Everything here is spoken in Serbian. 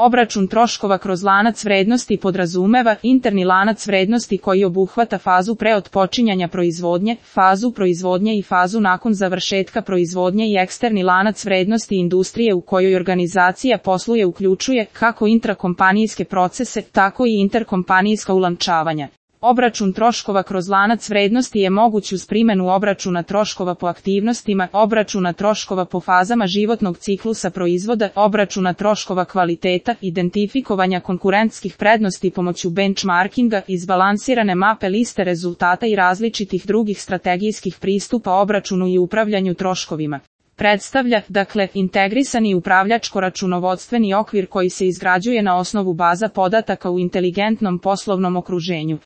Obračun troškova kroz lanac vrednosti podrazumeva interni lanac vrednosti koji obuhvata fazu pre otpočinjanja proizvodnje, fazu proizvodnje i fazu nakon završetka proizvodnje i eksterni lanac vrednosti industrije u kojoj organizacija posluje uključuje kako intrakompanijske procese, tako i interkompanijska ulančavanja. Obračun troškova kroz lanac vrednosti je moguć uz primjenu obračuna troškova po aktivnostima, obračuna troškova po fazama životnog ciklusa proizvoda, obračuna troškova kvaliteta, identifikovanja konkurentskih prednosti pomoću benchmarkinga, izbalansirane mape liste rezultata i različitih drugih strategijskih pristupa obračunu i upravljanju troškovima. Predstavlja, dakle, integrisani upravljačko-računovodstveni okvir koji se izgrađuje na osnovu baza podataka u inteligentnom poslovnom okruženju.